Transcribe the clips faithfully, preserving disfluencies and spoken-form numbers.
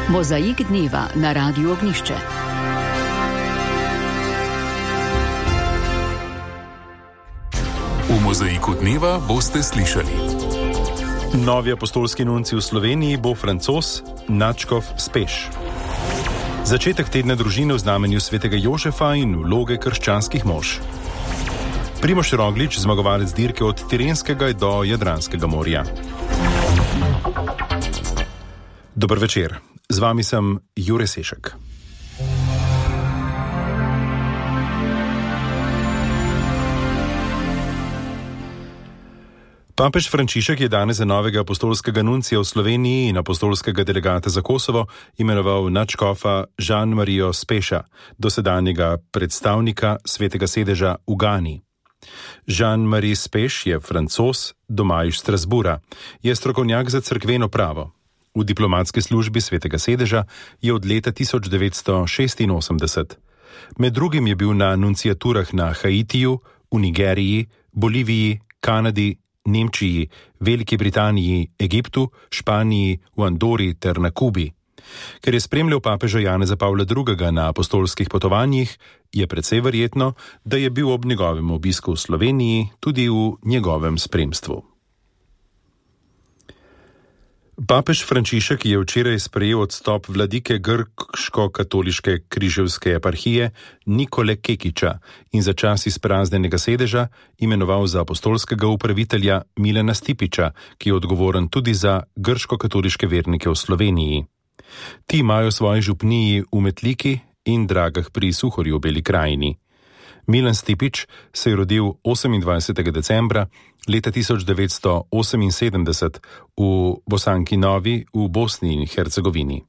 Mozaik dneva na Radiu Ognjišče. V Mozaiku dneva boste slišali: novi apostolski nuncij v Sloveniji bo Francoz Nadškof Speš. Začetek tedna družine v znamenju svetega Jožefa in vloge krščanskih mož. Primož Roglič, zmagovalec dirke od Tirenskega do Jadranskega morja. Dober večer, z vami sem Jure Sešek. Papež Frančišek je danes za novega apostolskega nuncija v Sloveniji in apostolskega delegata za Kosovo imenoval nadškofa Jean-Marijo Speša, dosedanjega predstavnika svetega sedeža v Gani. Jean-Marie Speš je Francoz, doma iz Strasbura, je strokovnjak za cerkveno pravo. V diplomatski službi svetega sedeža je od leta tisoč devetsto šestinosemdeset. Med drugim je bil na nunciaturah na Haitiju, v Nigeriji, Boliviji, Kanadi, Nemčiji, Veliki Britaniji, Egiptu, Španiji, v Andori ter na Kubi. Ker je spremljal papeža Janeza Pavla drugega. na apostolskih potovanjih, je precej verjetno, da je bil ob njegovem obisku v Sloveniji tudi v njegovem spremstvu. Papež Frančišek je včeraj sprejel odstop vladike grško-katoliške križevske eparhije Nikole Kekiča in za čas izpraznjenega sedeža imenoval za apostolskega upravitelja Milana Stipiča, ki je odgovoren tudi za grško-katoliške vernike v Sloveniji. Ti imajo svoje župniji v Metliki in Dragah pri Suhorju v Beli krajini. Milan Stipič se je rodil osemindvajsetega decembra leta tisoč devetsto oseminsedemdeset v Bosanki Novi v Bosni in Hercegovini.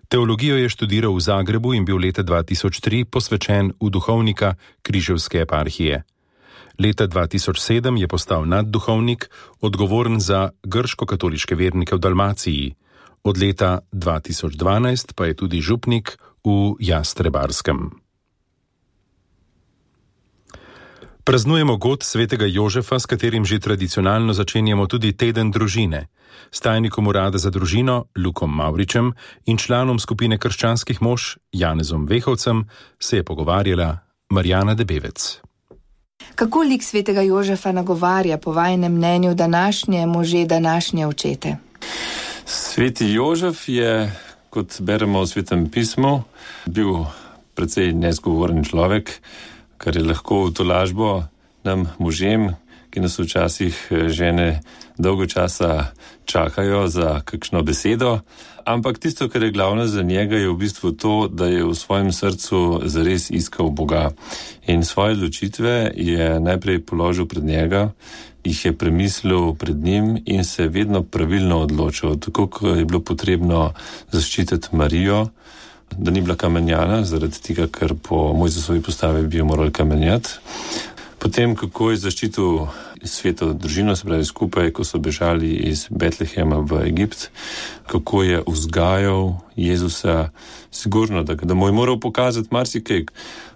Teologijo je študiral v Zagrebu in bil leta dva tisoč tri posvečen v duhovnika križevske eparhije. Leta dva tisoč sedem je postal nadduhovnik, odgovoren za grško-katoliške vernike v Dalmaciji. Od leta dva tisoč dvanajst pa je tudi župnik v Jastrebarskem. Praznujemo god svetega Jožefa, s katerim že tradicionalno začenjamo tudi teden družine. S tajnikom urada za družino Lukom Mavričem in članom skupine krščanskih mož Janezom Vehovcem se je pogovarjala Marjana Debevec. Kako lik svetega Jožefa nagovarja po vajinem mnenju današnje može, današnje očete? Sveti Jožef je, kot beremo v Svetem pismu, bil precej nezgovoren človek, kar je lahko v tolažbo nam možem, ki nas včasih žene dolgo časa čakajo za kakšno besedo. Ampak tisto, kar je glavno za njega, je v bistvu to, da je v svojem srcu zares iskal Boga. In svoje odločitve je najprej položil pred njega, jih je premislil pred njim in se vedno pravilno odločil. Tako, ko je bilo potrebno zaščititi Marijo, da ni bila kamenjana, zaradi tega, ker po Mojzesovi postavi bi jo morali kamenjati. Potem, kako je zaščitil sveto družino, se pravi skupaj, ko so bežali iz Betlehema v Egipt, kako je vzgajal Jezusa, sigurno, da, da mu je moral pokazati marsikaj.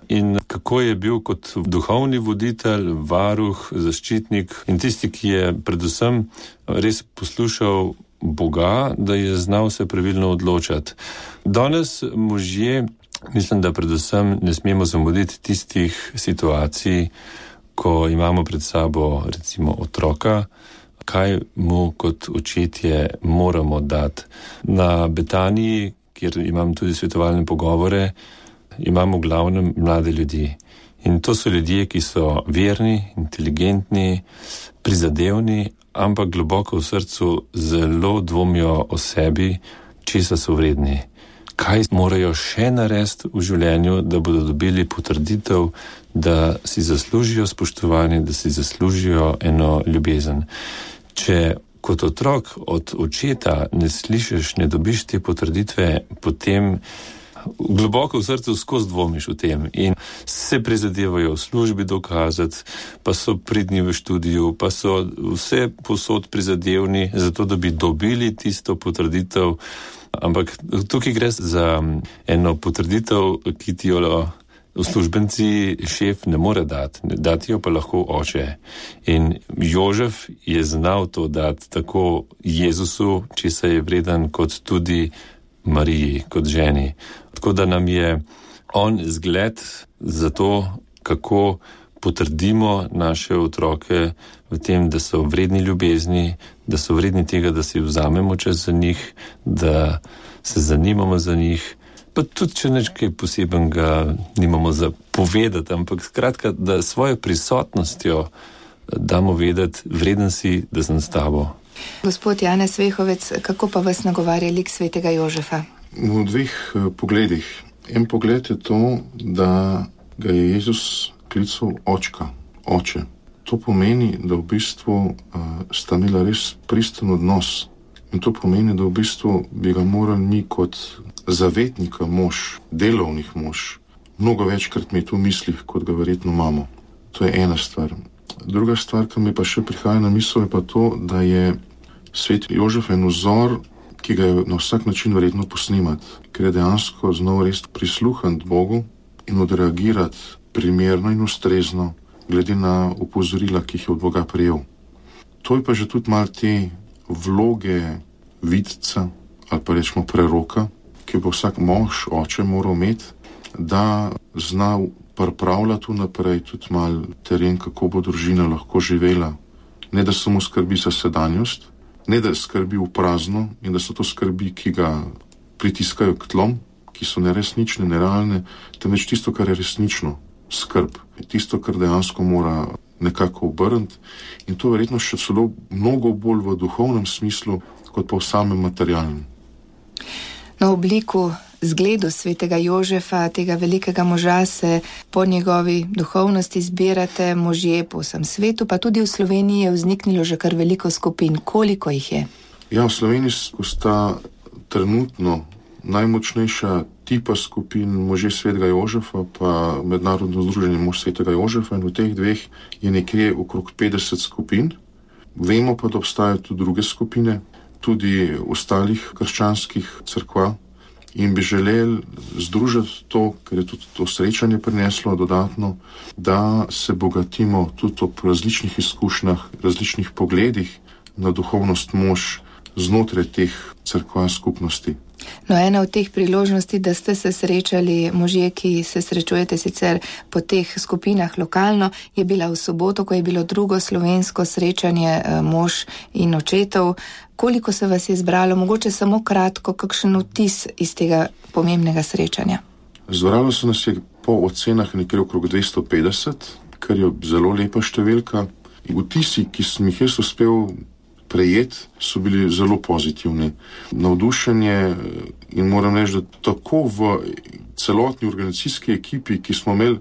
In kako je bil kot duhovni voditelj, varuh, zaščitnik in tisti, ki je predvsem res poslušal Boga, da je znal se pravilno odločati. Danes možje, mislim, da predvsem ne smemo zamuditi tistih situacij, ko imamo pred sabo recimo otroka, kaj mu kot očetje moramo dati. Na Betaniji, kjer imam tudi svetovalne pogovore, imamo v glavnem mlade ljudi. In to so ljudje, ki so verni, inteligentni, prizadevni, ampak globoko v srcu zelo dvomijo o sebi, česa so vredni. Kaj morajo še narediti v življenju, da bodo dobili potrditev, da si zaslužijo spoštovanje, da si zaslužijo eno ljubezen. Če kot otrok od očeta ne slišiš, ne dobiš te potrditve, potem globoko v srcu skozi dvomiš o tem in se prizadevajo v službi dokazati, pa so pridni v študiju, pa so vse posod prizadevni za to, da bi dobili tisto potrditev. Ampak tukaj gre za eno potrditev, ki ti jo uslužbenci šef ne more dati, dati jo pa lahko oče. In Jožef je znal to dati tako Jezusu, česa je vreden, kot tudi Mariji kot ženi. Tako da nam je on zgled za to, kako potrdimo naše otroke v tem, da so vredni ljubezni, da so vredni tega, da si vzamemo čas za njih, da se zanimamo za njih, pa tudi, če nekaj posebenega nimamo za povedati, ampak skratka, da svojo prisotnostjo damo vedeti, vreden si, da sem s tabo. Gospod Janez Vehovec, kako pa vas nagovarja lik svetega Jožefa? V dveh pogledih. En pogled je to, da ga je Jezus klical očka, oče. To pomeni, da v bistvu uh, sta imela res pristen odnos. In to pomeni, da v bistvu bi ga morali mi kot zavetnika mož, delovnih mož, mnogo večkrat imeti v mislih, kot ga verjetno imamo. To je ena stvar. Druga stvar, ki mi pa še prihaja na misel, je pa to, da je sveti Jožef en vzor, ki ga je na vsak način verjetno posnemati, ker je dejansko znal res prisluhniti Bogu in odreagirati primerno in ustrezno, glede na opozorila, ki jih je od Boga prejel. To je pa že tudi malo te vloge vidca ali pa rečemo preroka, ki bo vsak mož, oče moral imeti, da zna pripravljati vnaprej tudi malo teren, kako bo družina lahko živela. Ne da samo skrbi za sedanjost, ne da skrbi v prazno in da so to skrbi, ki ga pritiskajo k tlom, ki so neresnične, nerealne, temveč tisto, kar je resnično, skrb. Tisto, kar dejansko mora nekako obrniti in to verjetno še celo mnogo bolj v duhovnem smislu, kot pa v samem materialnem. Na obliku, zgledu svetega Jožefa, tega velikega moža, se po njegovi duhovnosti zbirate možje po vsem svetu, pa tudi v Sloveniji je vzniknilo že kar veliko skupin. Koliko jih je? Ja, v Sloveniji sta trenutno najmočnejša tipa skupin možje svetega Jožefa pa Mednarodno združenje mož svetega Jožefa in v teh dveh je nekje okrog petdeset skupin. Vemo pa, da obstajajo tudi druge skupine, tudi ostalih krščanskih cerkva in bi želeli združiti to, ker je tudi to srečanje prineslo dodatno, da se bogatimo tudi ob različnih izkušnjah, različnih pogledih na duhovnost mož znotraj teh cerkva skupnosti. No, ena od teh priložnosti, da ste se srečali možje, ki se srečujete sicer po teh skupinah lokalno, je bila v soboto, ko je bilo drugo slovensko srečanje mož in očetov. Koliko se vas je zbralo? Mogoče samo kratko, kakšen vtis iz tega pomembnega srečanja? Zbralo se nas je po ocenah nekje okrog dvesto petdeset, kar je zelo lepa številka. Vtisi, ki sem jih jaz uspel prejeti, so bili zelo pozitivni. Navdušenje in moram reči, da tako v celotni organizacijski ekipi, ki smo imeli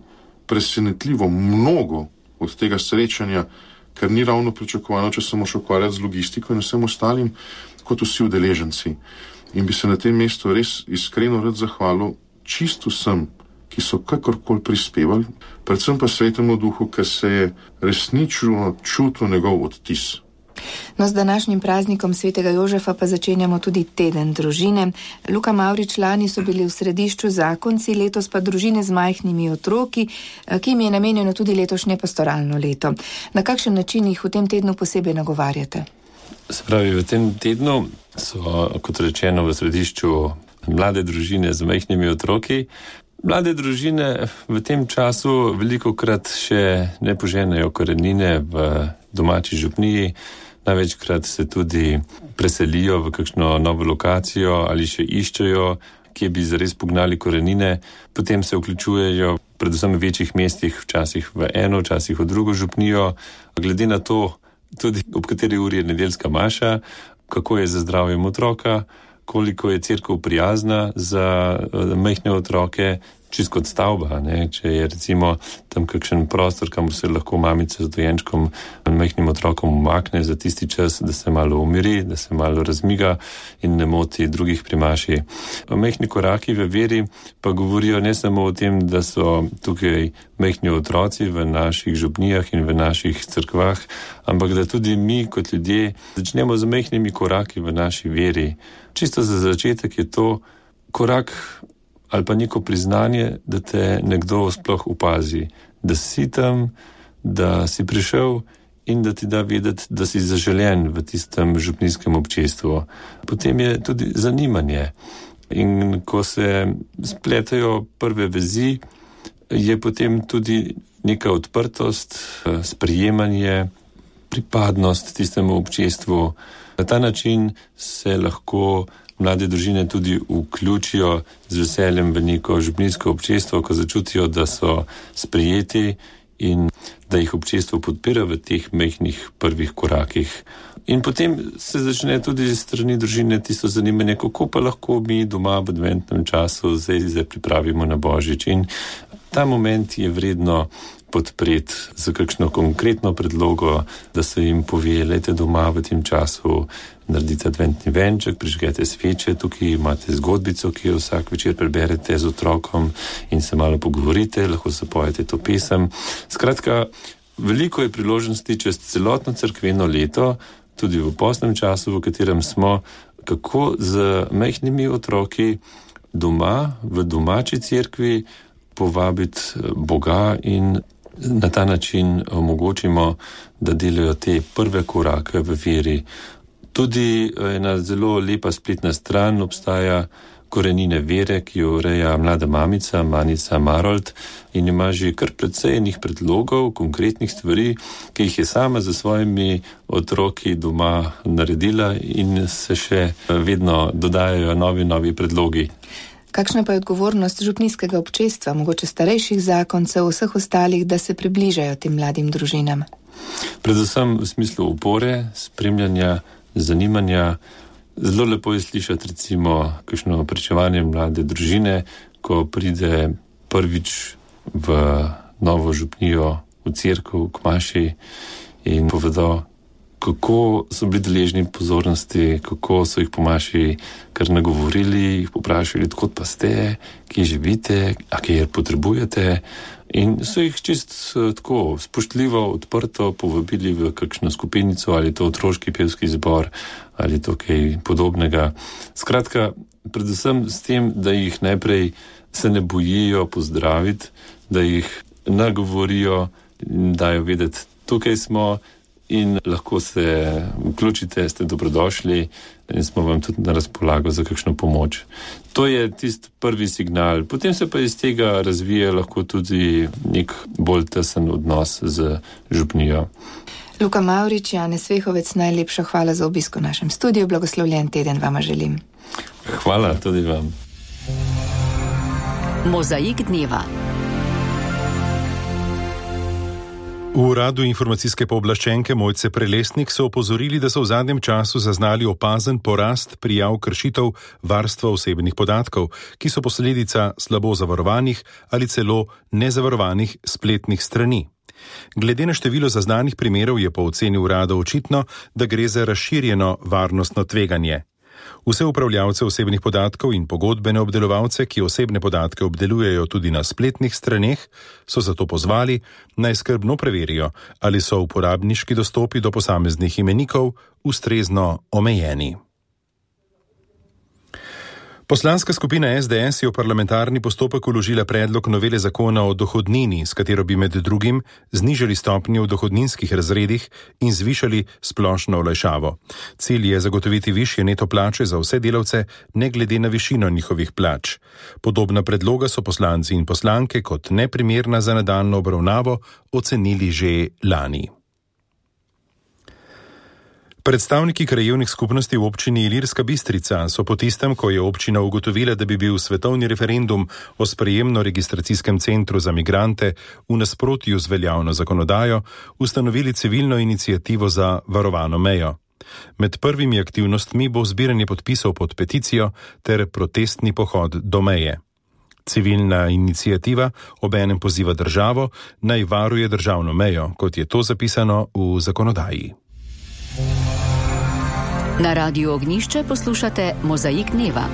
presenetljivo mnogo od tega srečanja, ker ni ravno pričakovano, če se moraš ukvarjati z logistiko in vsem ostalim, kot vsi udeleženci. In bi se na tem mestu res iskreno rad zahvalil čisto vsem, ki so kakorkoli prispevali, predvsem pa svetemu duhu, ker se je resnično čutil njegov odtis. No, z današnjim praznikom svetega Jožefa pa začenjamo tudi teden družine. Luka Mavrič, lani so bili v središču zakonci, letos pa družine z majhnimi otroki, ki jim je namenjeno tudi letošnje pastoralno leto. Na kakšen način jih v tem tednu posebej nagovarjate? Se pravi, v tem tednu so, kot rečeno, v središču mlade družine z majhnimi otroki. Mlade družine v tem času velikokrat še ne poženejo korenine v domači župniji, največkrat se tudi preselijo v kakšno novo lokacijo ali še iščejo, kje bi zares pognali korenine, potem se vključujejo predvsem v večjih mestih, včasih v eno, včasih v drugo župnijo, glede na to tudi ob kateri uri je nedeljska maša, kako je za zdravjem otroka, koliko je cerkev prijazna za majhne otroke, čist kot stavba, ne? Če je recimo tam kakšen prostor, kamor se lahko mamica z dojenčkom majhnim otrokom umakne za tisti čas, da se malo umiri, da se malo razmiga in ne moti drugih primaši. Majhni koraki v veri pa govorijo ne samo o tem, da so tukaj majhni otroci v naših župnijah in v naših cerkvah, ampak da tudi mi kot ljudje začnemo z majhnimi koraki v naši veri. Čisto za začetek je to korak ali pa neko priznanje, da te nekdo sploh opazi, da si tam, da si prišel in da ti da vedeti, da si zaželen v tistem župnijskem občestvu. Potem je tudi zanimanje. In ko se spletajo prve vezi, je potem tudi neka odprtost, sprejemanje, pripadnost tistemu občestvu. Na ta način se lahko mlade družine tudi vključijo z veseljem v neko župnijsko občestvo, ko začutijo, da so sprejeti in da jih občestvo podpira v teh majhnih prvih korakih. In potem se začne tudi z strani družine tisto zanimanje, kako pa lahko mi doma v adventnem času zdaj, zdaj pripravimo na Božič. In ta moment je vredno podpreti za kakšno konkretno predlogo, da se jim pove, lejte doma v tem času, naredite adventni venček, prižgete sveče, tukaj imate zgodbico, ki jo vsak večer preberete z otrokom in se malo pogovorite, lahko zapojete to pesem. Skratka, veliko je priložnosti čez celotno cerkveno leto, tudi v postnem času, v katerem smo, kako z majhnimi otroki doma, v domači cerkvi, povabiti Boga in na ta način omogočimo, da delajo te prve korake v veri. Tudi ena zelo lepa spletna stran obstaja Korenine vere, ki jo ureja mlada mamica, Manica Marold, in ima že kar precej enih predlogov, konkretnih stvari, ki jih je sama za svojimi otroki doma naredila in se še vedno dodajajo novi, novi predlogi. Kakšna pa je odgovornost župnijskega občestva, mogoče starejših zakoncev, vseh ostalih, da se približajo tem mladim družinam? Predvsem v smislu opore, spremljanja, zanimanja. Zelo lepo je slišati recimo kakšno pričevanje mlade družine, ko pride prvič v novo župnijo, v cerkev, k maši in povedo, kako so bili deležni pozornosti, kako so jih po maši kar nagovorili, jih poprašali, odkot pa ste, kje živite, a kje potrebujete. In so jih čist tako spoštljivo, odprto povabili v kakšno skupinico, ali to otroški pevski zbor, ali to kaj podobnega. Skratka, predvsem s tem, da jih najprej se ne bojijo pozdraviti, da jih nagovorijo in dajo vedeti, tukaj smo, in lahko se vključite, ste dobrodošli in smo vam tudi na razpolago za kakšno pomoč. To je tisti prvi signal. Potem se pa iz tega razvije lahko tudi nek bolj tesen odnos z župnijo. Luka Mavrič, Janez Svehovec, najlepša hvala za obisk v našem studiu. Blagoslovljen teden vama želim. Hvala tudi vam. Mozaik dneva. V uradu informacijske pooblaščenke Mojce Prelesnik so opozorili, da so v zadnjem času zaznali opazen porast prijav kršitev varstva osebnih podatkov, ki so posledica slabo zavarovanih ali celo nezavarovanih spletnih strani. Glede na število zaznanih primerov je po oceni urada očitno, da gre za razširjeno varnostno tveganje. Vse upravljavce osebnih podatkov in pogodbene obdelovalce, ki osebne podatke obdelujejo tudi na spletnih straneh, so zato pozvali, naj skrbno preverijo, ali so uporabniški dostopi do posameznih imenikov ustrezno omejeni. Poslanska skupina S D S je v parlamentarni postopek vložila predlog novele zakona o dohodnini, s katero bi med drugim znižali stopnje v dohodninskih razredih in zvišali splošno olajšavo. Cilj je zagotoviti višje neto plače za vse delavce, ne glede na višino njihovih plač. Podobna predloga so poslanci in poslanke kot neprimerna za nadaljnjo obravnavo ocenili že lani. Predstavniki krajevnih skupnosti v občini Ilirska Bistrica so po tistem, ko je občina ugotovila, da bi bil svetovni referendum o sprejemno-registracijskem centru za migrante v nasprotju z veljavno zakonodajo, ustanovili civilno inicijativo za varovano mejo. Med prvimi aktivnostmi bo zbiranje podpisov pod peticijo ter protestni pohod do meje. Civilna inicijativa obenem poziva državo, naj varuje državno mejo, kot je to zapisano v zakonodaji. Na Radiu Ognjišče poslušate Mozaik dneva.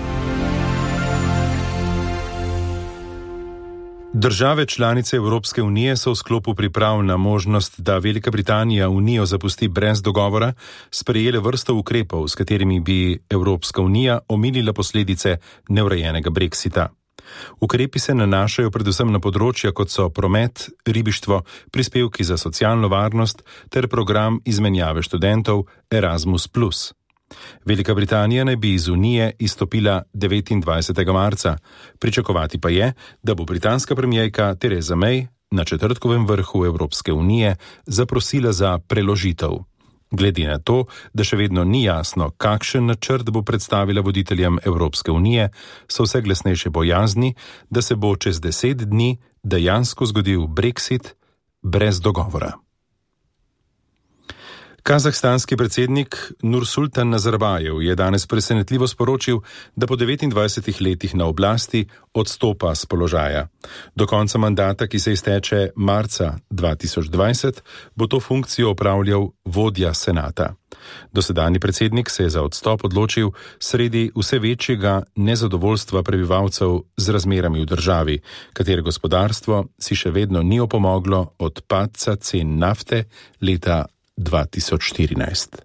Države članice Evropske unije so v sklopu priprav na možnost, da Velika Britanija unijo zapusti brez dogovora, sprejele vrsto ukrepov, s katerimi bi Evropska unija omilila posledice neurejenega brexita. Ukrepi se nanašajo predvsem na področja, kot so promet, ribištvo, prispevki za socialno varnost ter program izmenjave študentov Erasmus plus. Velika Britanija naj bi iz Unije izstopila devetindvajsetega marca. Pričakovati pa je, da bo britanska premijerka Theresa May na četrtkovem vrhu Evropske unije zaprosila za preložitev. Glede na to, da še vedno ni jasno, kakšen načrt bo predstavila voditeljem Evropske unije, so vse glasnejše bojazni, da se bo čez deset dni dejansko zgodil Brexit brez dogovora. Kazahstanski predsednik Nursultan Nazarbajev je danes presenetljivo sporočil, da po devetindvajsetih letih na oblasti odstopa s položaja. Do konca mandata, ki se izteče marca dva tisoč dvajset, bo to funkcijo opravljal vodja senata. Dosedanji predsednik se je za odstop odločil sredi vse večjega nezadovoljstva prebivalcev z razmerami v državi, katere gospodarstvo si še vedno ni opomoglo od padca cen nafte leta dva tisoč štirinajst.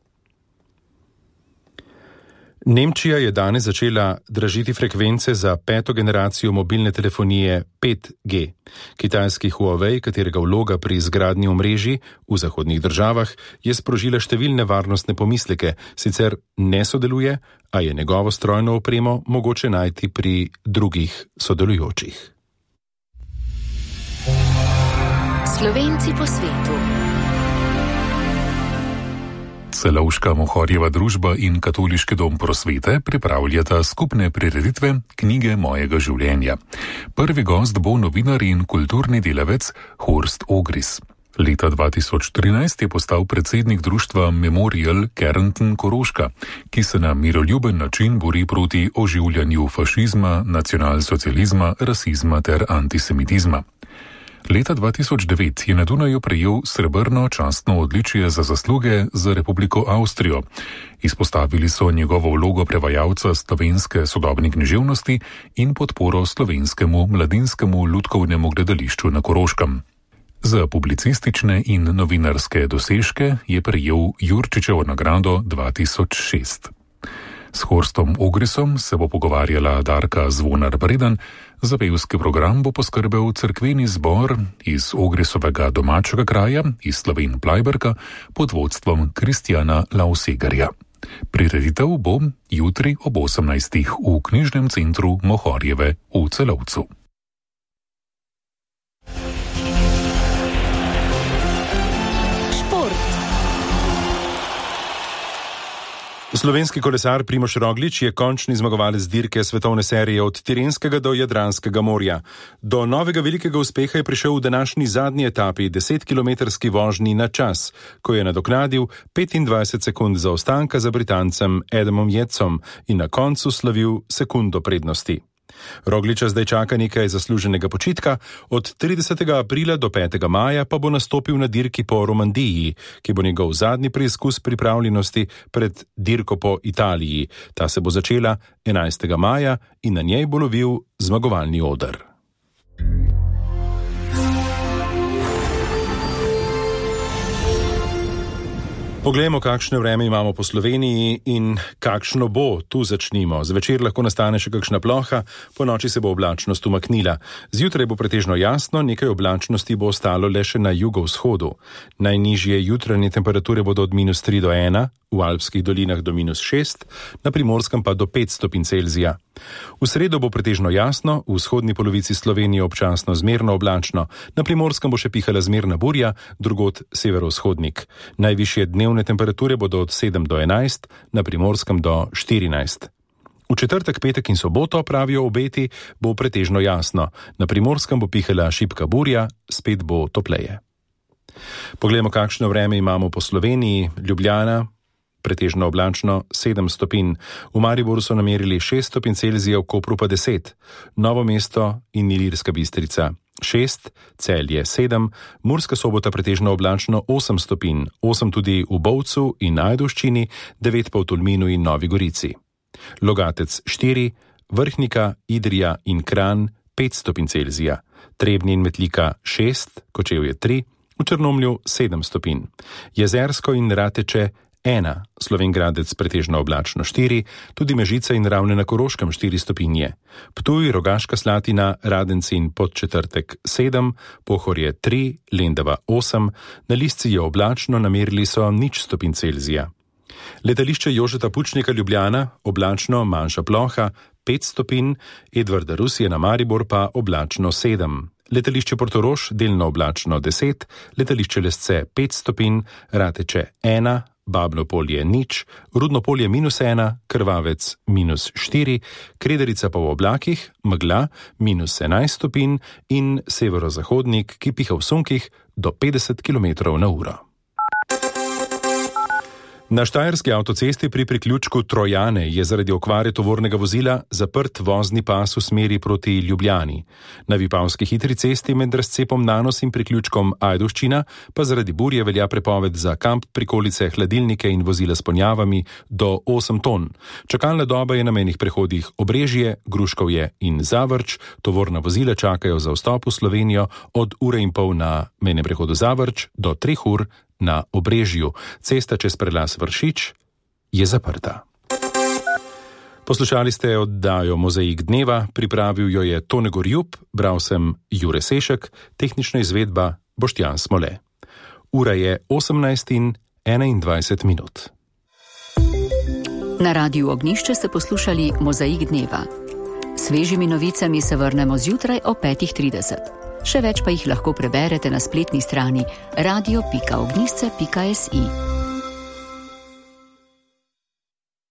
Nemčija je danes začela dražiti frekvence za peto generacijo mobilne telefonije pet G. Kitajski Huawei, katerega vloga pri izgradnji omrežij v zahodnih državah, je sprožila številne varnostne pomisleke, sicer ne sodeluje, a je njegovo strojno opremo mogoče najti pri drugih sodelujočih. Slovenci po svetu. Celovška Mohorjeva družba in Katoliški dom prosvete pripravljata skupne prireditve Knjige mojega življenja. Prvi gost bo novinar in kulturni delavec Horst Ogris. Leta dva tisoč trinajst je postal predsednik društva Memorial Kärnten Koroška, ki se na miroljuben način bori proti oživljanju fašizma, nacionalsocializma, rasizma ter antisemitizma. Leta dva tisoč devet je na Dunaju prejel srebrno častno odličje za zasluge za Republiko Avstrijo. Izpostavili so njegovo vlogo prevajalca slovenske sodobne književnosti in podporo slovenskemu mladinskemu lutkovnemu gledališču na Koroškem. Za publicistične in novinarske dosežke je prejel Jurčičevo nagrado dva tisoč šest. S Horstom Ogrisom se bo pogovarjala Darka Zvonar-Bredan, za pevski program bo poskrbel cerkveni zbor iz Ogrisovega domačega kraja, iz Slovenj Plajberka, pod vodstvom Kristjana Lausegarja. Prireditev bo jutri ob osemnajstih v knjižnem centru Mohorjeve v Celovcu. Slovenski kolesar Primož Roglič je končni zmagovalec dirke svetovne serije od Tirenskega do Jadranskega morja. Do novega velikega uspeha je prišel v današnji zadnji etapi desetkilometrski vožnji na čas, ko je nadoknadil petindvajset sekund zaostanka za Britancem Adamom Yatesom in na koncu slavil sekundo prednosti. Rogliča zdaj čaka nekaj zasluženega počitka, od tridesetega aprila do petega maja pa bo nastopil na dirki po Romandiji, ki bo njegov zadnji preizkus pripravljenosti pred dirko po Italiji. Ta se bo začela enajstega maja in na njej bo lovil zmagovalni oder. Poglejmo, kakšno vreme imamo po Sloveniji in kakšno bo. Tu začnimo. Zvečer lahko nastane še kakšna ploha, po noči se bo oblačnost umaknila. Zjutraj bo pretežno jasno, nekaj oblačnosti bo ostalo le še na jugovzhodu. Najnižje jutranje temperature bodo od minus tri do ena, v alpskih dolinah do minus šest, na Primorskem pa do pet stopinj Celzija. V sredo bo pretežno jasno, v vzhodni polovici Slovenije občasno zmerno oblačno, na Primorskem bo še pihala zmerna burja, drugod severovzhodnik. Najvišje dnevne temperature bodo od sedem do enajst, na Primorskem do štirinajst. V četrtek, petek in soboto, pravijo obeti, bo pretežno jasno, na Primorskem bo pihala šibka burja, spet bo topleje. Poglejmo, kakšno vreme imamo po Sloveniji. Ljubljana, pretežno oblačno sedem stopinj, v Mariboru so namerili šest stopinj Celzija, v Kopru pa deset, Novo mesto in Ilirska Bistrica šest, Celje sedem, Murska Sobota pretežno oblačno osem stopinj, osem tudi v Bovcu in Ajdovščini, devet pa v Tolminu in Novi Gorici. Logatec štiri, Vrhnika, Idrija in Kranj pet stopinj Celzija, Trebnje in Metlika šest, Kočevje tri, v Črnomlju sedem stopinj, Jezersko in Rateče ena, Slovenj Gradec pretežno oblačno štiri, tudi Mežica in Ravne na Koroškem štiri stopinje, Ptuj, Rogaška Slatina, Radenci in Podčetrtek sedem, Pohorje tri, Lendava osem, na Lisci je oblačno, namerili so nič stopinj Celzija. Letališče Jožeta Pučnika Ljubljana, oblačno, manjša ploha, pet stopinj, Edvarda Rusije na Maribor pa oblačno sedem. Letališče Portorož, delno oblačno deset, letališče Lesce pet stopinj, Rateče ena, Babno polje nič, Rudno polje minus ena, Krvavec minus štiri, Krederica pa v oblakih, megla minus enajst stopinj in severozahodnik, ki piha v sunkih do petdeset kilometrov na uro. Na štajerski avtocesti pri priključku Trojane je zaradi okvare tovornega vozila zaprt vozni pas v smeri proti Ljubljani. Na Vipavski hitri cesti med razcepom Nanos in priključkom Ajdovščina pa zaradi burje velja prepoved za kamp, prikolice, hladilnike in vozila s ponjavami do osem ton. Čakalna doba je na mejnih prehodih Obrežje, Gruškovje in Zavrč. Tovorna vozila čakajo za vstop v Slovenijo od ure in pol na mejnem prehodu Zavrč do treh ur na Obrežju. Cesta čez prelaz Vršič je zaprta. Poslušali ste oddajo Mozaik dneva, pripravil jo je Tone Gorjub, bral sem Jure Sešek, tehnična izvedba Boštjan Smole. Ura je osemnajst in enaindvajset minut. Na Radiu Ognjišče ste poslušali Mozaik dneva. Svežimi novicami se vrnemo zjutraj o petih trideset. Še več pa jih lahko preberete na spletni strani radio pika ognjišče pika si.